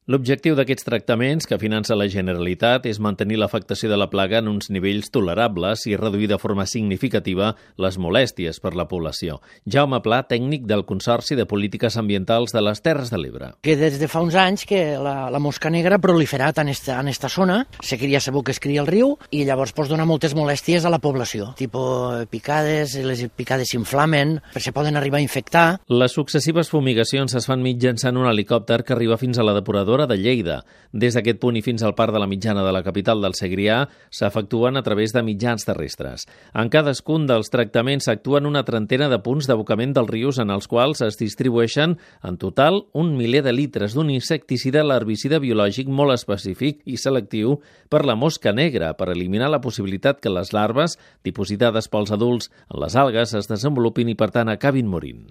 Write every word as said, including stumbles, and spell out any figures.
L'objectiu d'aquests tractaments que finança la Generalitat és mantenir l'afectació de la plaga en uns nivells tolerables i reduir de forma significativa les molèsties per la població. Jaume Pla, tècnic del Consorci de Polítiques Ambientals de les Terres de l'Ebre. Que des de fa uns anys que la, la mosca negra ha proliferat en esta, en esta zona, se cria sabó que es cria al riu i llavors pues, dona moltes molèsties a la població, tipus picades, les picades s'inflamen, se poden arribar a infectar. Les successives fumigacions es fan mitjançant un helicòpter que arriba fins a la depuradora de Lleida. Des d'aquest punt i fins al Parc de la Mitjana de la capital del Segrià s'efectuen a través de mitjans terrestres. En cadascun dels tractaments s'actuen una trentena de punts d'abocament dels rius en els quals es distribueixen en total un miler de litres d'un insecticida l'herbicida biològic molt específic i selectiu per la mosca negra per eliminar la possibilitat que les larves, dipositades pels adults en les algues, es desenvolupin i per tant acabin morint.